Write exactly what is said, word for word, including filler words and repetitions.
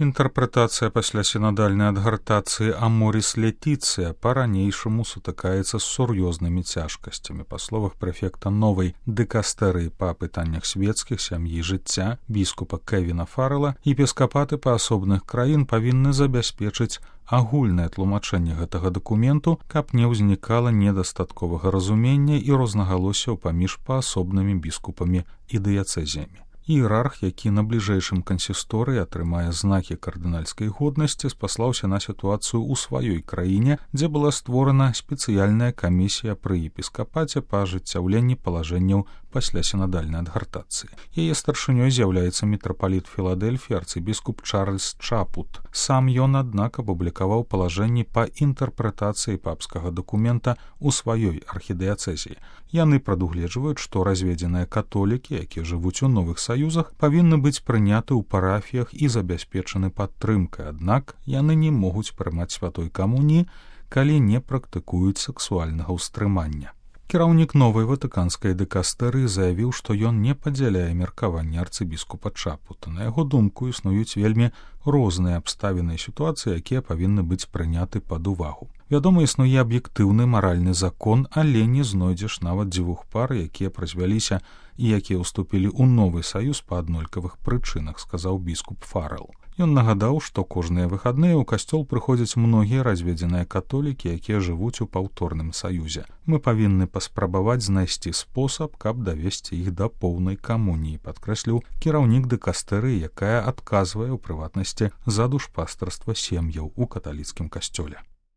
Інтэрпрэтацыя пасля сінадальнай адгартацыі «Аморіс Летіцыя» па-ранейшаму сутыкаецца з сур'ёзнымі цяжкасцямі. Па словах прэфекта новай дыкастэрыі па пытаннях свецкіх, сям'і, жыцця, біскупа Кевіна Фаррела, епіскапаты паасобных краін павінны забяспечыць агульнае тлумачэнне гэтага дакументу, каб не ўзнікала недастатковага разумення і рознагалоссяў паміж паасобнымі біскупамі і дыяцэзіямі. Іерарх, які на бліжэйшым кансісторыі атрымае знакі кардынальскай годнасці, спаслаўся на сітуацыю ў сваёй краіне, дзе была створана спецыяльная камісія пры епіскапаце па ажыццяўленні палажэнняў пасля сінадальнай адгартацыі. Яе старшынёй з'яўляецца мітрапаліт Філадэльфіі арцыбіскуп Чарльз Чапут. Сам ён, аднак, апублікаваў палажэнні па інтэрпрэтацыі папскага дакумента ў сваёй архідыяцэзіі. Яны прадугледжваюць, што разведзеныя католікі, якія жывуць у новых саюзах, павінны быць прыняты ў парафіях і забяспечаны падтрымкай, аднак яны не могуць прымаць святой камуніі, калі не практыкуюць сексуальнага ўстрымання. Кіраўнік новай ватыканскай дыкастэрыі заявіў, што ён не падзяляе меркаванне арцыбіскупа Чапута. На яго думку, існуюць вельмі розныя абставіны і сітуацыі, якія павінны быць прыняты пад увагу. Вядома, існуе аб'ектыўны маральны закон, але не знойдзеш нават дзвюх пар, якія празвяліся і якія ўступілі ў новы саюз па аднолькавых прычынах, сказаў біскуп Фаррел. Ён нагадаў, што кожныя выхадныя ў касцёл прыходзяць многія разведзеныя католікі, якія жывуць у паўторным саюзе. Мы павінны паспрабаваць знайсці спосаб, каб давесці іх да поўнай камуніі, падкрэсліў кіраўнік дыкастэрыі, якая адказвае ў прыватнасці за душпастарства сем'яў у каталіцкім касцёле.